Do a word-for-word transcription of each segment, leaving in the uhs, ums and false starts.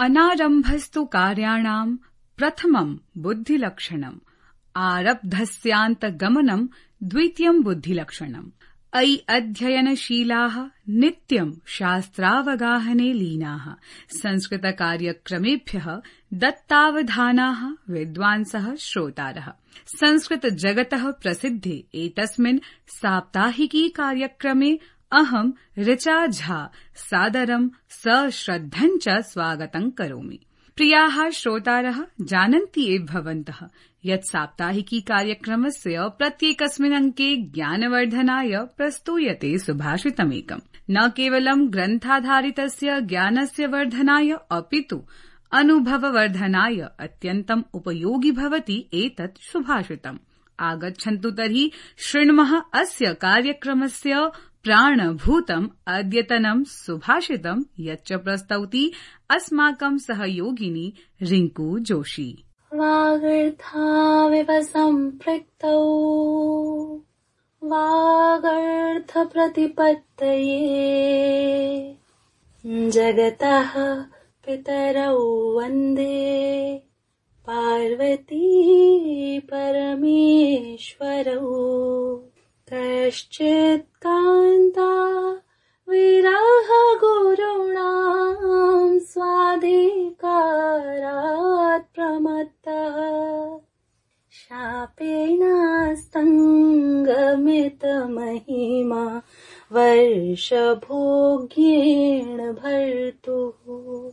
अनारम्भस्तु कार्याणाम् प्रथमम् बुद्धिलक्षणम्, आरब्धस्यान्तगमनम् द्वितीयम् बुद्धिलक्षणम्। अयि अध्ययनशीलाः नित्यम् शास्त्रावगाहने लीनाः संस्कृतकार्यक्रमेभ्यः दत्तावधानाः विद्वांसः श्रोतारः। संस्कृतजगतः प्रसिद्धे एतस्मिन् साप्ताहिकी कार्यक्रमे अहम् ऋचा झा सादरम् सश्रद्धम् च स्वागतम् करोमि। प्रियाः श्रोतारः, जानन्ति एव भवन्तः यत् साप्ताहिकी कार्यक्रमस्य प्रत्येकस्मिन् अङ्के ज्ञानवर्धनाय प्रस्तूयते सुभाषितमेकम्। न केवलं ग्रन्थाधारितस्य ज्ञानस्य वर्धनाय अपितु अनुभववर्धनाय अत्यन्तम् उपयोगि भवति एतत् सुभाषितम्। आगच्छन्तु तर्हि शृण्मः अस्य कार्यक्रमस्य प्राणभूतम् अद्यतनं सुभाषितम्, यच्च प्रस्तौति अस्माकं सहयोगिनी रिंकू जोशी। वागर्थाविव सम्पृक्तौ वागर्थ प्रतिपत्तये जगतः पितरौ वन्दे पार्वती परमेश्वरौ। कश्चित् कान्ता विरह गुरुणां स्वाधिकारात् प्रमत्तः शापेनास्तङ्गमितमहिमा वर्षभोग्येण भर्तुः।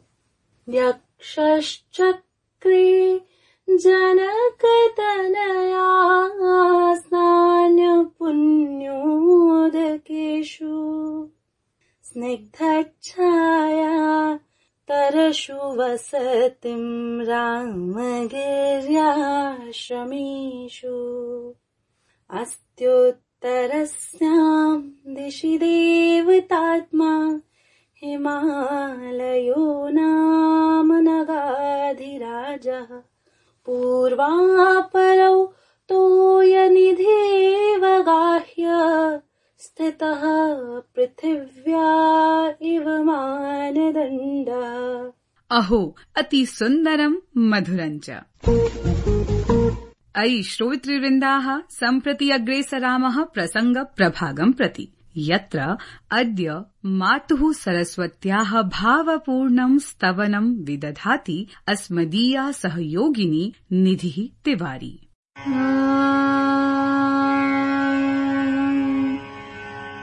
यक्षश्चक्रे जनकतनया स्नान्यपुण्योदकेषु स्निग्धच्छाया तरशु वसतिं रामगिर्याश्रमेषु। अस्त्युत्तरस्यां दिशि देवतात्मा हिमालयो नाम नगाधिराजः। पूर्वापरौ तोयनिधेव गाह्य स्थितः पृथिव्या इव मानदण्डः। अहो, अति सुन्दरम् मधुरम् च। अयि श्रोतृवृन्दाः, सम्प्रति अग्रेसरामः प्रसङ्ग प्रभागम् प्रति, यत्र अद्य मातुः सरस्वत्याः भावपूर्णं स्तवनं विदधाति अस्मदीया सहयोगिनी निधिः तिवारी।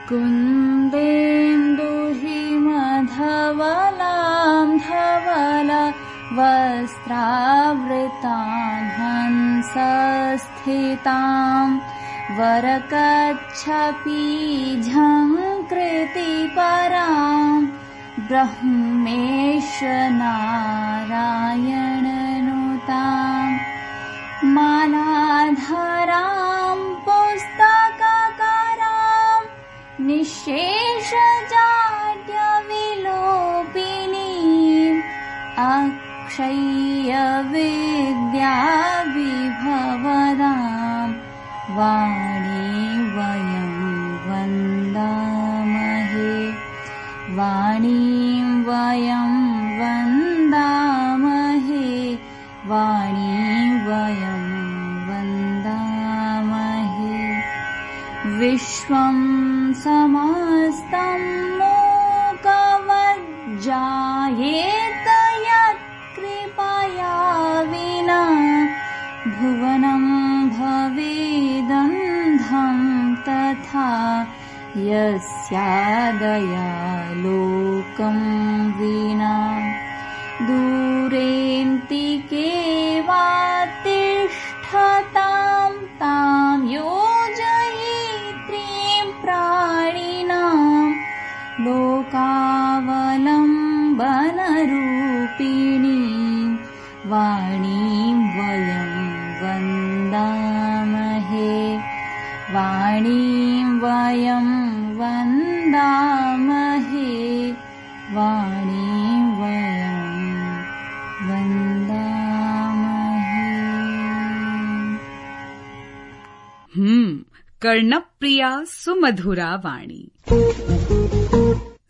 कुन्देन्दुहिमधवलां धवला वस्त्रावृतां हंसस्थितां वरकच्छपीझङ्कृतिपरां ब्रह्मेश नारायणनुतां मालाधरां पुस्तककरां निःशेषजाड्यविलोपिनीम् अक्षय्यविद्याविभवदां वाणी वयं वन्दामहे। वाणीं वयं वन्दामहे। वाणीं वयं वन्दामहे। विश्वं समस्तं मूकवज्जायेत यत्कृपया विना भुवनं भवेदन्धं तथा यस्यादयालोकं विना। दूरेऽन्तिके वा तिष्ठतां तां योजयित्रीं प्राणिनां लोकावलम्बनरूपिणीं वाणीं वयं वन्दामहे। वाणीं वयं वन्दामहे। वाणीं वयं वन्दामहे। हम्म कर्णप्रिया सुमधुरा वाणी।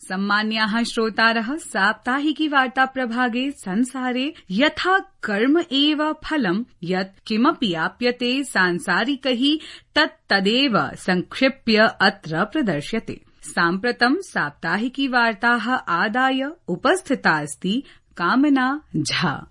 सम्मान्याः श्रोतारः, साप्ताहिकी वार्ता प्रभागे संसारे यथा कर्म एव फलम् यत् किमपि आप्यते सांसारिकैः तत् तदेव संक्षिप्य अत्र प्रदर्श्यते। साम्प्रतं साप्ताहिकी वार्ताः आदाय उपस्थिता अस्ति कामना झा।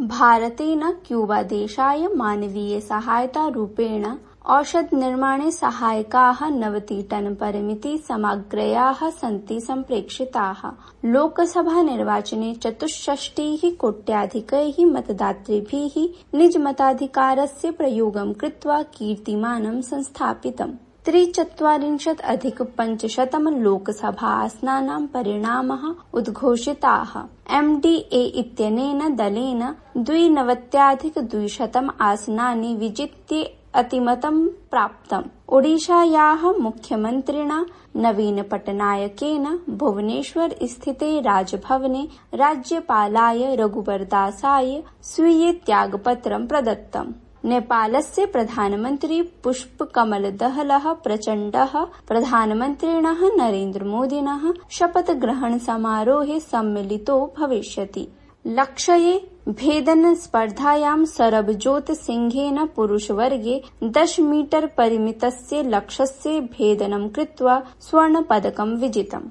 भारतेन क्यूबा देशाय मानवीय सहायता रूपेण औषध निर्माणे सहायकाः नवति टन परिमिति सामग्र्याः सन्ति सम्प्रेक्षिताः। लोकसभा निर्वाचने चतुष्षष्टिः कोट्याधिकैः मतदातृभिः निज मताधिकारस्य प्रयोगं कृत्वा कीर्तिमानं संस्थापितम्। त्रिचत्वारिंशत् अधिक पञ्चशतं लोकसभा आसनानां परिणामः उद्घोषिताः। एम् डी ए इत्यनेन दलेन द्विनवत्याधिक द्विशतम् आसनानि विजित्य अतिमतं प्राप्तम्। ओडिशायाः मुख्यमन्त्रिणा नवीन पटनायकेन भुवनेश्वर स्थिते राजभवने राज्यपालाय रघुवरदासाय स्वीय त्यागपत्रं प्रदत्तम्। नेपालस्य प्रधानमन्त्री पुष्पकमलदहलः प्रचण्डः प्रधानमन्त्रिणः नरेन्द्रमोदिनः शपथग्रहण समारोहे सम्मिलितो भविष्यति। लक्ष्ये भेदन स्पर्धायां सरबजोत सिंहेन पुरुषवर्गे दश मीटर परिमितस्य लक्ष्यस्य भेदनं कृत्वा स्वर्णपदकं विजितम्।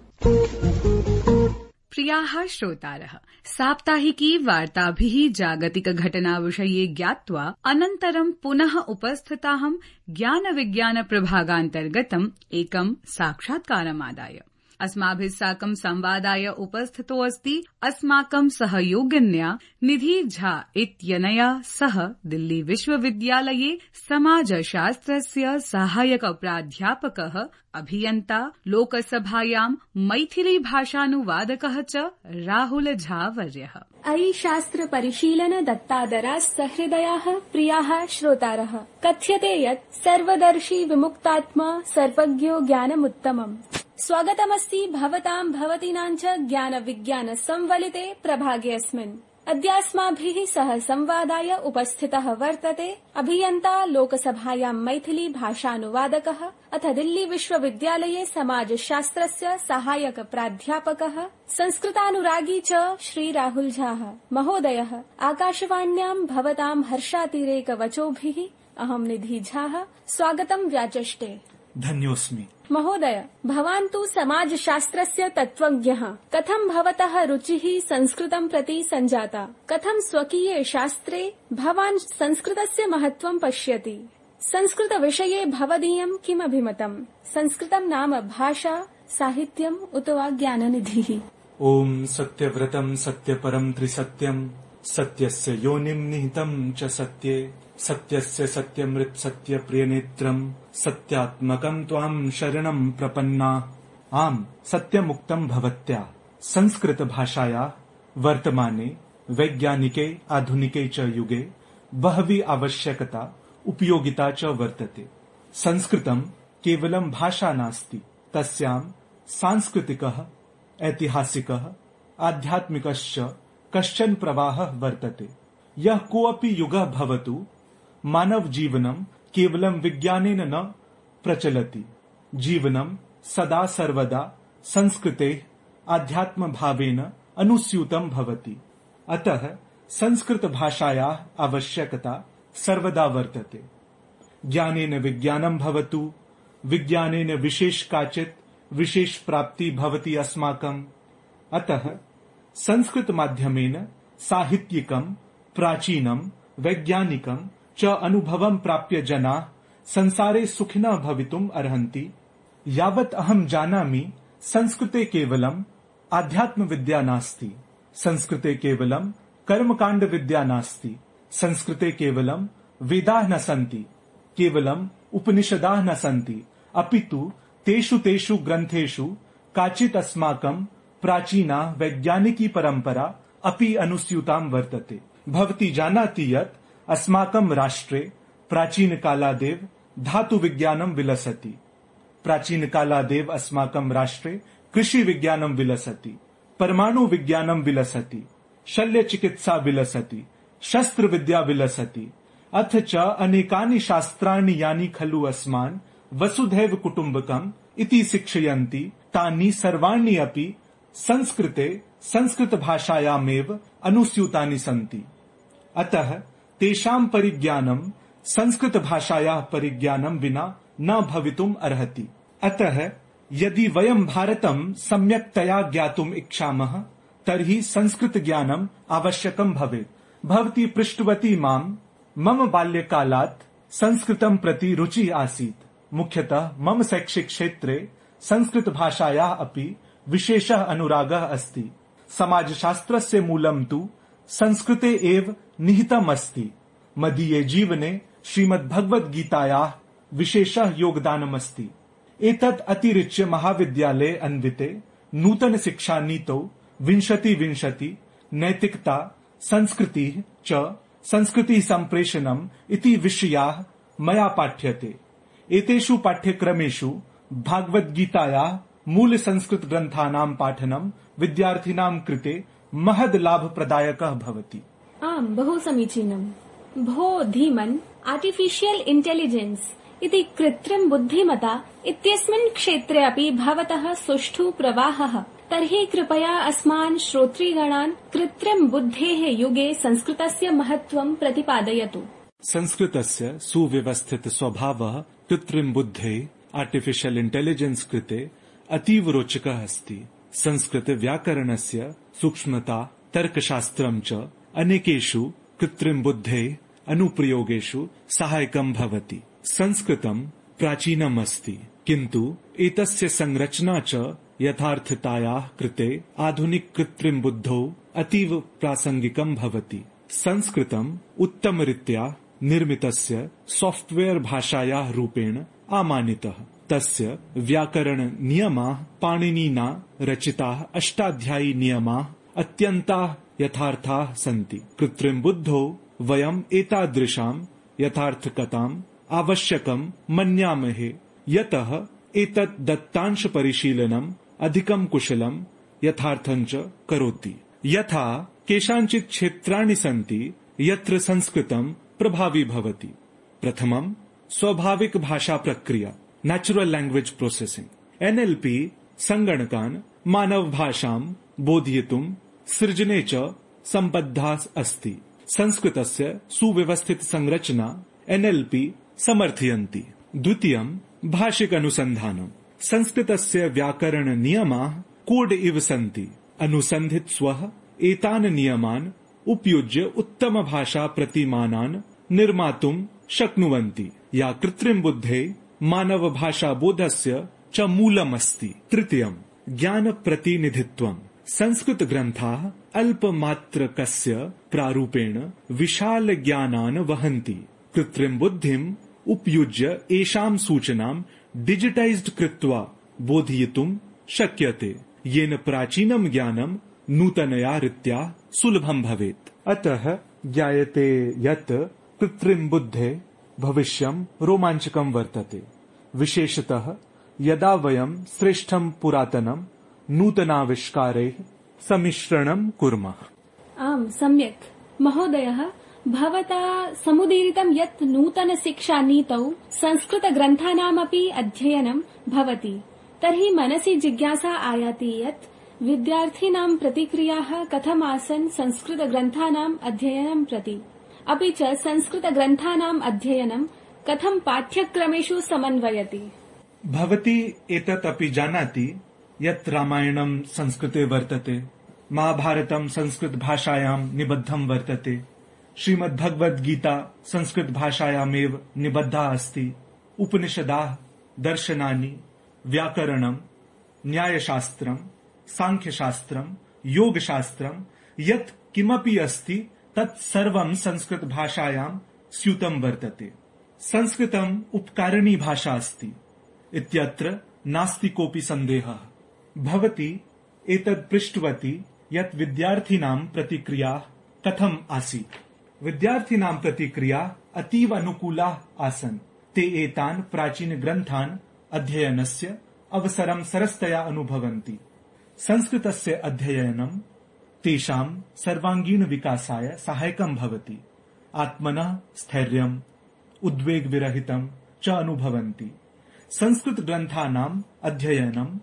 प्रियाः श्रोतारः, साप्ताहिकी वार्ताभिः जागतिकघटनाविषये ज्ञात्वा अनन्तरं पुनः उपस्थिताहं ज्ञानविज्ञानप्रभागान्तर्गतम् एकं साक्षात्कारमादाय। अस्माभिः साकं संवादाय उपस्थितो अस्ति अस्माकं सहयोगिन्या निधि झा इत्यनया सह दिल्ली विश्वविद्यालये समाजशास्त्रस्य सहायक प्राध्यापकः, अभियन्ता, लोकसभायां मैथिली भाषानुवादकः च राहुल झा वर्यः। अयि शास्त्र परिशीलन दत्तादराः सहृदयाः प्रियाः श्रोतारः, कथ्यते यत् सर्वदर्शी विमुक्तात्मा सर्वज्ञो ज्ञानमुत्तमम्। स्वागतमस्ति भवतां भवतीनां च ज्ञान विज्ञान संवलिते प्रभागेऽस्मिन्। अद्यास्माभिः सह संवादाय उपस्थितः वर्तते अभियन्ता, लोकसभायां मैथिली भाषानुवादकः अथ दिल्ली विश्वविद्यालये समाजशास्त्रस्य सहायक प्राध्यापकः, संस्कृतानुरागी च श्री राहुल झा महोदयः। आकाशवाण्यां भवतां हर्षातिरेकवचोभिः अहं निधि झा स्वागतं व्याचष्टे। धन्योऽस्मि। महोदय, भवान् तु समाजशास्त्रस्य तत्त्वज्ञः। कथं भवतः रुचिः संस्कृतं प्रति सञ्जाता? कथं स्वकीये शास्त्रे भवान् संस्कृतस्य महत्त्वं पश्यति? संस्कृतविषये भवदीयं किम् अभिमतम्? संस्कृतं नाम भाषा, साहित्यम् उत वा ज्ञाननिधिः? ओम सत्यव्रतं सत्यपरं त्रिसत्यं, सत्यस्य योनिं निहितं च सत्ये, सत्यस्य सत्यमृत सत्य प्रियनेत्रं, सत्यात्मकं त्वां शरणं प्रपन्ना। आम सत्यमुक्तं भवत्या। संस्कृत भाषाया वर्तमाने वैज्ञानिके आधुनिके च युगे बहवी आवश्यकता उपयोगिता च वर्तते। संस्कृतं केवलं भाषा नास्ति, तस्यां सांस्कृतिकः, ऐतिहासिकः, आध्यात्मिकश्च कश्चन प्रवाहः वर्तते। यः कोऽपि युगः भवतु, मानव जीवनं केवलं विज्ञानेन न प्रचलति। जीवनं सदा सर्वदा संस्कृतेः आध्यात्म भावेन अनुस्यूतं भवति। अतः संस्कृत भाषायाः आवश्यकता सर्वदा वर्तते। ज्ञानेन विज्ञानं भवतु, विज्ञानेन विशेष काचित् विशेष प्राप्ति भवति अस्माकम्। अतः संस्कृत माध्यमेन साहित्यिकं, प्राचीनं, वैज्ञानिकं च अनुभवं प्राप्य जनाः संसारे सुखिनः भवितुम् अर्हन्ति। यावत् अहं जानामि, संस्कृते केवलम् आध्यात्म विद्या नास्ति, संस्कृते केवलं कर्मकाण्ड विद्या नास्ति, संस्कृते केवलं वेदाः न सन्ति, केवलं उपनिषदाः न सन्ति, अपितु तेषु तेषु ग्रन्थेषु काचित् अस्माकं प्राचीना वैज्ञानिकी परम्परा अपि अनुस्यूतां वर्तते। भवती जानाति यत् अस्माकं राष्ट्रे प्राचीन कालादेव धातु विज्ञानं विलसति। प्राचीन कालादेव अस्माकं राष्ट्रे कृषि विज्ञानं विलसति, परमाणु विज्ञानं विलसति, शल्य चिकित्सा विलसति, शस्त्र विद्या विलसति, अथ च अनेकानि शास्त्राणि यानि खलु अस्मान् वसुधैव कुटुम्बकम् इति शिक्षयन्ति, तानि सर्वाणि अपि संस्कृते संस्कृतभाषायामेव अनुस्यूतानि सन्ति। अतः तेषां परिज्ञानं संस्कृतभाषायाः परिज्ञानं विना न भवितुम् अर्हति। अतः यदि वयं भारतं सम्यक्तया ज्ञातुम् इच्छामः तर्हि संस्कृतज्ञानम् आवश्यकं भवेत्। भवती पृष्टवती माम्, मम बाल्यकालात् संस्कृतं प्रति रुचिः आसीत्। मुख्यतः मम शैक्षिक क्षेत्रे संस्कृतभाषायाः अपि विशेषः अनुरागः अस्ति। समाजशास्त्रस्य मूलं तु संस्कृते एव निहितम् अस्ति। मदीये जीवने श्रीमद्भगवद्गीतायाः विशेषः योगदानमस्ति। एतत् अतिरिच्य महाविद्यालये अन्विते नूतन शिक्षा नीतौ विंशति विंशति नैतिकता संस्कृतिः च संस्कृति सम्प्रेषणम् इति विषयाः मया पाठ्यते। एतेषु पाठ्यक्रमेषु भागवद्गीतायाः मूल संस्कृत ग्रन्थानां पाठनं विद्यार्थिनां कृते महद् लाभप्रदायकः भवति। आम्, बहु समीचीनम्। भो धीमन्, आर्टिफिशियल् इंटेलिजेन्स् इति कृत्रिम बुद्धिमता इत्यस्मिन् क्षेत्रे अपि भवतः सुष्ठु प्रवाहः। तर्हि कृपया अस्मान् श्रोतृगणान् कृत्रिम बुद्धेः युगे संस्कृतस्य महत्त्वं प्रतिपादयतु। संस्कृतस्य सुव्यवस्थित स्वभावः कृत्रिम बुद्धेः आर्टिफिशियल् इंटेलिजेन्स् कृते अतीव रोचकः अस्ति। संस्कृत व्याकरणस्य सूक्ष्मता तर्कशास्त्रं च अनेकेषु कृत्रिम बुद्धेः अनुप्रयोगेषु सहायकं भवति। संस्कृतं प्राचीनम् अस्ति, किन्तु एतस्य संरचना च यथार्थतायाः कृते आधुनिक कृत्रिम बुद्धौ अतीव प्रासंगिकं भवति। संस्कृतम् उत्तमरीत्या निर्मितस्य सॉफ्टवेयर भाषायाः रूपेण आमानितः। तस्य व्याकरण नियमाः पाणिनिना रचिताः अष्टाध्यायी नियमाः अत्यन्ताः यथार्थाः सन्ति। कृत्रिम बुद्धौ वयम् एतादृशां यथार्थकताम् आवश्यकं मन्यामहे, यतः एतत् दत्तांश परिशीलनम् अधिकं कुशलं यथार्थञ्च करोति। यथा केषाञ्चित् क्षेत्राणि सन्ति यत्र संस्कृतं प्रभावी भवति। प्रथमं स्वाभाविक भाषा प्रक्रिया, natural language processing. N L P संगणकान् मानव भाषां बोधयितुं सृजने च सम्बद्धा अस्ति। संस्कृतस्य सुव्यवस्थित संरचना एन एल पी समर्थयन्ति। द्वितीयं भाषिक अनुसन्धानम्। संस्कृतस्य व्याकरण नियमाः कोड इव सन्ति। अनुसन्धित्स्वः एतान् नियमान् उपयुज्य उत्तम भाषा प्रतिमानान् निर्मातुं शक्नुवन्ति, या कृत्रिम बुद्धे मानव भाषा बोधस्य च मूलमस्ति। तृतीयं ज्ञान प्रतिनिधित्वम्। संस्कृत ग्रन्थाः अल्पमात्रकस्य प्रारूपेण विशाल ज्ञानान् वहन्ति। कृत्रिम बुद्धिम् उपयुज्य एषां सूचनां डिजिटाइज्ड कृत्वा बोधयितुं शक्यते, येन प्राचीनं ज्ञानं नूतनया रीत्या सुलभं भवेत्। अतः ज्ञायते यत् कृत्रिम बुद्धे भविष्यं रोमाञ्चकं वर्तते, विशेषतः यदा वयं श्रेष्ठं पुरातनं नूतनाविष्कारैः सम्मिश्रणं कुर्मः। आम्, सम्यक् महोदयः। भवता समुदीरितं यत् नूतन शिक्षा नीतौ संस्कृत ग्रन्थानामपि अध्ययनं भवति। तर्हि मनसि जिज्ञासा आयाति यत् विद्यार्थिनां प्रतिक्रियाः कथम् आसन् संस्कृत ग्रन्थानाम् अध्ययनं प्रति, अपि च संस्कृत ग्रन्थानाम् अध्ययनं कथं पाठ्यक्रमेषु समन्वयति। भवती एतत् अपि जानाति यत् रामायणं संस्कृते वर्तते, महाभारतं संस्कृत भाषायां निबद्धं वर्तते, श्रीमद्भगवद्गीता संस्कृत भाषायामेव निबद्धा अस्ति। उपनिषदाः दर्शनानि, व्याकरणं, न्यायशास्त्रं, सांख्यशास्त्रं, योगशास्त्रं यत् किमपि अस्ति तत् सर्वं संस्कृत भाषायां स्यूतं वर्तते। संस्कृतम् उपकारिणी भाषा अस्ति इत्यत्र नास्ति कोऽपि सन्देहः। भवती एतत् पृष्टवती यत् विद्यार्थिनां प्रतिक्रिया कथम् आसीत्। विद्यार्थिनां प्रतिक्रिया अतीव अनुकूलाः आसन्। ते एतान् प्राचीन ग्रन्थान् अध्ययनस्य अवसरं सरसतया अनुभवन्ति। संस्कृतस्य अध्ययनं तेषां सर्वांगीण विकासाय सहायकं भवति। आत्मनः स्थैर्यम्, उद्वेगविरहितं च अनुभवन्ति। संस्कृत ग्रन्थानाम् अध्ययनम्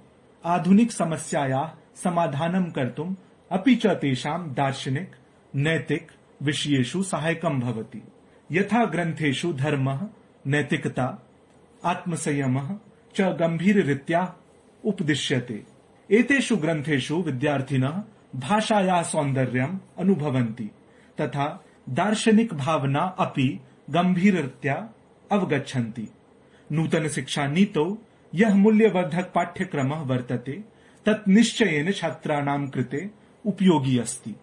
आधुनिक समस्यायाः समाधानं कर्तुम् अपि च तेषां दार्शनिक नैतिक विषयेषु सहायकं भवति। यथा ग्रन्थेषु धर्मः, नैतिकता, आत्मसंयमः च गम्भीररीत्या उपदिश्यते। एतेषु ग्रन्थेषु विद्यार्थिनः भाषायाः सौन्दर्यम् अनुभवन्ति तथा दार्शनिक भावना अपि गम्भीररीत्या अवगच्छन्ति। नूतन शिक्षा नीतौ यः मूल्यवर्धक पाठ्यक्रमः वर्तते तत् निश्चयेन छात्राणां कृते उपयोगी अस्ति।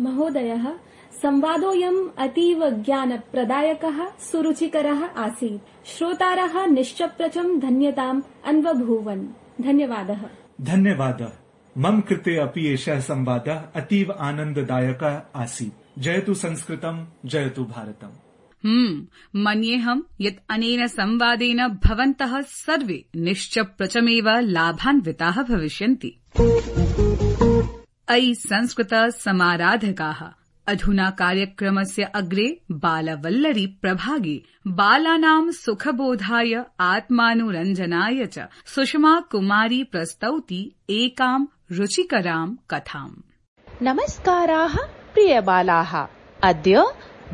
महोदयः, संवादोऽयम् अतीव ज्ञानप्रदायकः सुरुचिकरः आसीत्। श्रोतारः निश्चप्रचम् धन्यताम् अन्वभूवन्। धन्यवादः। धन्यवादः। मम कृते अपि एषः संवादः अतीव आनन्ददायकः आसीत्। जयतु संस्कृतम्, जयतु भारतम्। हम्म मन्येऽहम् यत् अनेन संवादेन भवन्तः सर्वे निश्चप्रचमेव लाभान्विताः भविष्यन्ति। अयि संस्कृत समाराधकाः, अधुना कार्यक्रमस्य अग्रे बालवल्लरी प्रभागे बालानां सुखबोधाय आत्मानुरञ्जनाय च सुषमा कुमारी प्रस्तौति एकां रुचिकरां कथाम्। नमस्काराः प्रियबालाः, अद्य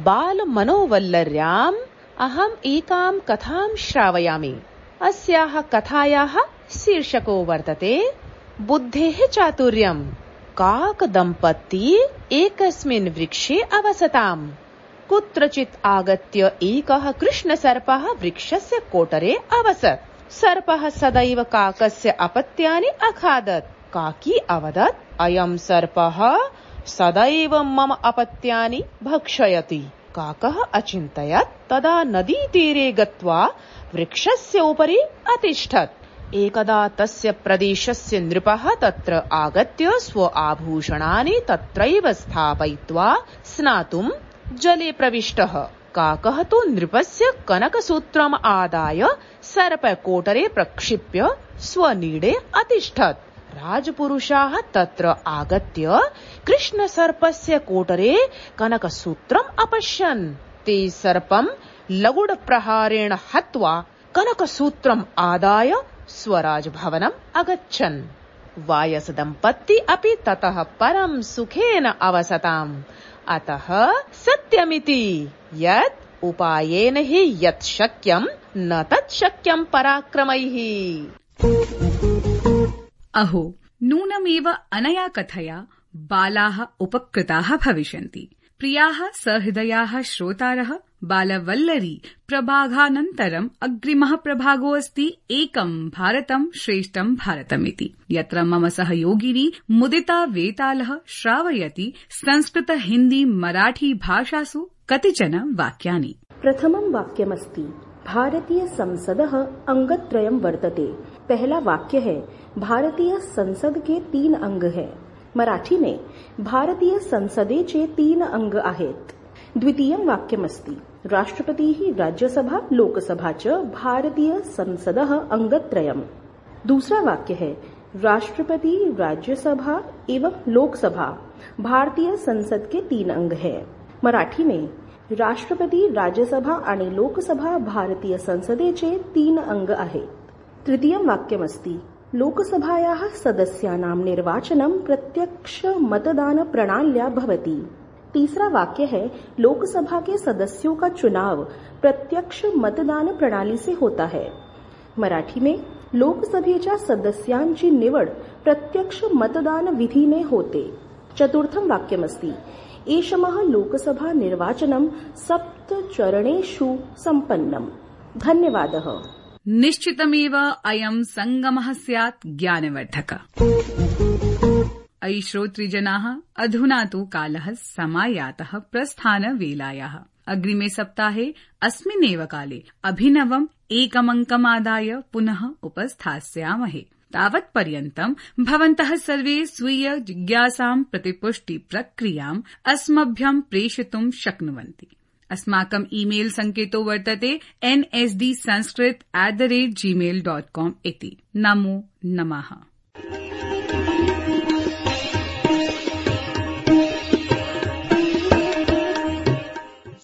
बालमनोवल्लर्याम् अहम् एकां कथां श्रावयामि। अस्याः कथायाः शीर्षको वर्तते बुद्धेः चातुर्यम्। काकदम्पती एकस्मिन् वृक्षे अवसताम्। कुत्रचित् आगत्य एकः कृष्णसर्पः वृक्षस्य कोटरे अवसत्। सर्पः सदैव काकस्य अपत्यानि अखादत्। काकी अवदत्, अयं सर्पः सदैव मम अपत्यानि भक्षयति। काकः अचिन्तयत्। तदा नदीतीरे गत्वा वृक्षस्य उपरि अतिष्ठत्। एकदा तस्य प्रदेशस्य नृपः तत्र आगत्य स्व आभूषणानि तत्रैव स्थापयित्वा स्नातुम् जले प्रविष्टः। काकः तु नृपस्य कनकसूत्रम् आदाय सर्पकोटरे प्रक्षिप्य स्वनीडे अतिष्ठत्। राजपुरुषाः तत्र आगत्य कृष्णसर्पस्य कोटरे कनकसूत्रम् अपश्यन्। ते सर्पम् लगुडप्रहारेण हत्वा कनकसूत्रम् आदाय स्वराजभवनम् अगच्छन्। वायसदम्पती अपि ततः परं सुखेन अवसताम्। अतः सत्यमिति यत् उपायेन हि यत् शक्यम् न तत् शक्यम् पराक्रमैः। अहो, नूनमेव अनया कथया बालाः उपकृताः भविष्यन्ति। प्रियाः सहृदयाः श्रोतारः, बालवल्लरी प्रभागानन्तरम् अग्रिमः प्रभागोऽस्ति एकं भारतं श्रेष्ठं भारतमिति, यत्र मम सहयोगिनी मुदिता वेतालः श्रावयति संस्कृत हिन्दी मराठी भाषासु कतिचन वाक्यानि। प्रथमं वाक्यमस्ति भारतीय संसदः अंगत्रयं वर्तते। पहला वाक्य है भारतीय संसद के तीन अंग है। मराठी में भारतीय संसदेचे तीन अंग आहेत। द्वितीयं वाक्यमस्ति राष्ट्रपतिः राज्यसभा लोकसभा च भारतीय संसदः अंगत्रयम्। दूसरा वाक्य है राष्ट्रपति राज्यसभा एवं लोकसभा भारतीय संसद के तीन अंग है। मराठी में राष्ट्रपति राज्यसभा आणि लोकसभा भारतीय संसदेचे तीन अंग आहेत। तृतीयं वाक्यमस्ति लोकसभायाः सदस्यानां निर्वाचनं प्रत्यक्ष मतदान प्रणाल्या भवति। तीसरा वाक्य है लोकसभा के सदस्यों का चुनाव प्रत्यक्ष मतदान प्रणाली से होता है। मराठी में लोकसभेच्या सदस्यांची निवड प्रत्यक्ष मतदान विधीने होते। चतुर्थं वाक्यमस्ति एषमः लोकसभा निर्वाचनं सप्तचरणेषु सम्पन्नम्। धन्यवादः। निश्चितमेव अयं संगमः स्यात् ज्ञानवर्धकः। अयि श्रोतृजनाः, अधुना तु कालः समायातः प्रस्थानवेलायाः। अग्रिमे सप्ताहे अस्मिन्नेव काले अभिनवम् एकमङ्कमादाय पुनः उपस्थास्यामहे। तावत्पर्यन्तम् भवन्तः सर्वे स्वीय जिज्ञासां प्रतिपुष्टि प्रक्रियाम् अस्मभ्यम् प्रेषयितुं शक्नुवन्ति। अस्माकम् ईमेल सङ्केतो वर्तते N S D Sanskrit at the rate Gmail dot com इति। नमो नमः।